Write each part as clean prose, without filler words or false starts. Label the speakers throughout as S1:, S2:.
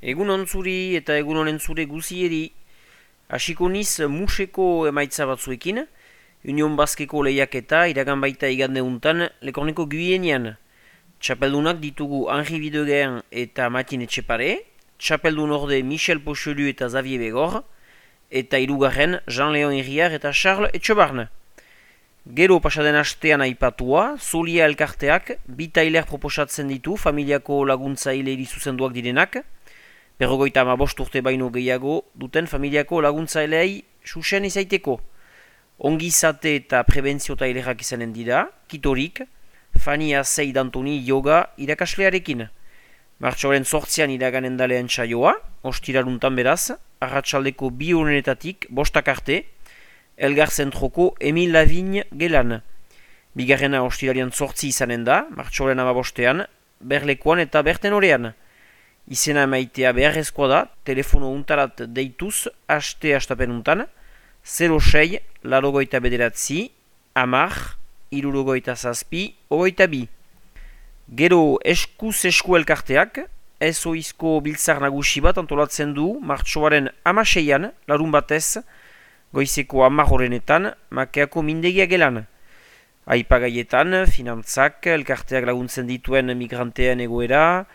S1: Egun ontzuri eta egun honen zure guzieri. Hasiko niz museko emaitza batzuekin, Union Baskeko lehiaketa iragan baita igande untan Lekorneko Guienean. Txapeldunak ditugu Henri Videguen eta Matin Etxepare, txapeldun orde Michel Pochelu eta Xavier Begor, eta hirugarren Jean-Léon Herriar eta Charles Etxebarne. Gero pasaden astean aipatua, Zolia elkarteak bi tailer proposatzen ditu familiako laguntzaile zuzenduak direnak, 55 urte baino gehiago duten familiako laguntzaileei susen izaiteko. Ongizate eta prebentzio tailerak izanen dira, kitorik, Fania Seid Antoni yoga irakaslearekin. Martxoaren 8an iraganen dalean txaioa, ostiraruntan beraz, arratsaldeko 2 honetatik 5 arte, Elgar zentroko Emil Lavigne gelan. Bigarrena ostirarian 8 izanen da, martxoaren 15an, Berlekuan eta Bertenorean. Izena maitea beharrezkoa da, telefono untarat deituz, hastapen untan, 06 larogoita bederatzi, amar, irurogoita zazpi, ogoita bi. Gero eskuz esku elkarteak, ezoizko biltzar nagusi bat antolatzen du, martxoaren 16an, larun batez, goizeko 10 horrenetan, makeako mindegia gelan. Aipagaietan, finantzak, elkarteak laguntzen dituen migranteen egoera,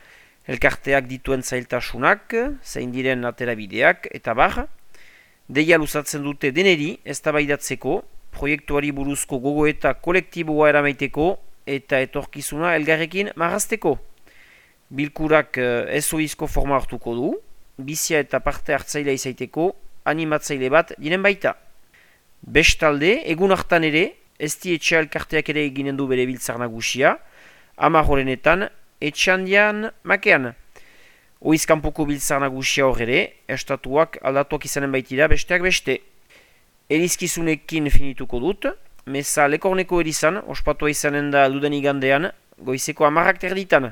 S1: elkarteak dituen zailtasunak, zein diren aterabideak, eta bar. Deia luzatzen dute deneri, eztabaidatzeko, proiektuari buruzko gogoeta kolektiboa eramaiteko, eta etorkizuna elgarrekin marrazteko. Bilkurak ezoizko forma hartuko du, bizia eta parte hartzailea izaiteko, animatzaile bat diren baita. Bestalde, egun hartan ere, ezti etxe elkarteak ere eginen du bere biltzar nagusia, 10 horrenetan, etxandian makean. Oizkanpoko biltzar nagusia hor ere, estatuak aldatuak izanen baitira besteak beste. Erizkizunekin finituko dut, meza Lekorneko erizan, ospatua izanen da duden igandean, goizeko 10 terditan.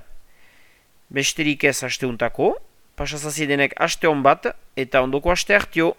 S1: Besterik ez asteuntako, pasazazi denek aste hon bat, eta ondoko aste hartio.